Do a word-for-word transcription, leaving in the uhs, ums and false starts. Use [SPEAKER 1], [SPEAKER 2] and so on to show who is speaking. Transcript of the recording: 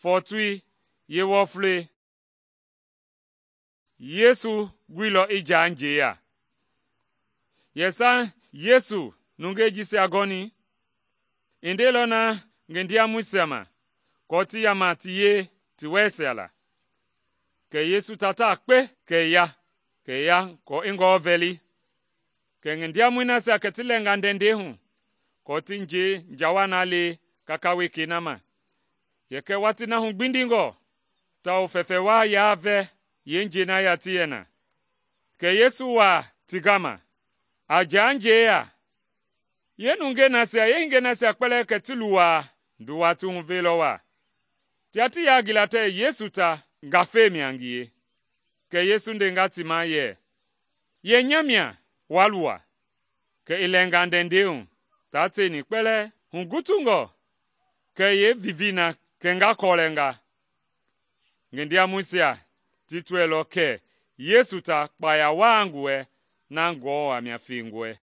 [SPEAKER 1] fɔɔtoi yeewɔflei. Yesu guilɔ i jaa njeeya. Yɛsa Yesu nungei jisia gɔni, i ndeilɔ na ngi ndiamɔisia ma aako ti yaama ti yie ti wɛisia la. Kɛ Yesu tataa kpe kɛ i ya, kɛ i ya aako i Ngewɔ vɛli. Kɛ ngi ndiamɔi nasia kɛ ti lɛnga ndɛndɛi hu aako ti njɛi njawa na le kaka wekei na ma. Yɛkɛ watii na hu gbindingɔ tawao fɛfɛ wa yaa vɛ yeenjɛi na ya ti yɛ na. Kɛ Yesu waa ti gama, a jaa njeeya. Yeenungei nasia, yeehingei nasia kpɛlɛɛ kɛ ti luwaa nduwa ti huveilɔ waa. Tia ti yaa gila tɛɛ Yesu ta ngafei mia ngie. Kɛ Yesu ndenga ti ma yɛ, “Yɛ nya mia wa luwa.” Kɛ i lɛnga ndɛndɛi hu taa tieni kpɛlɛɛ hugutungɔ, kɛ i yeevivii na kɛnga kɔlɛnga. Ngi ndiamɔisia ti tɔɛilɔ kɛ Yesu ta kpaya waa ngi wɛ na Ngewɔ a mia fengɔe.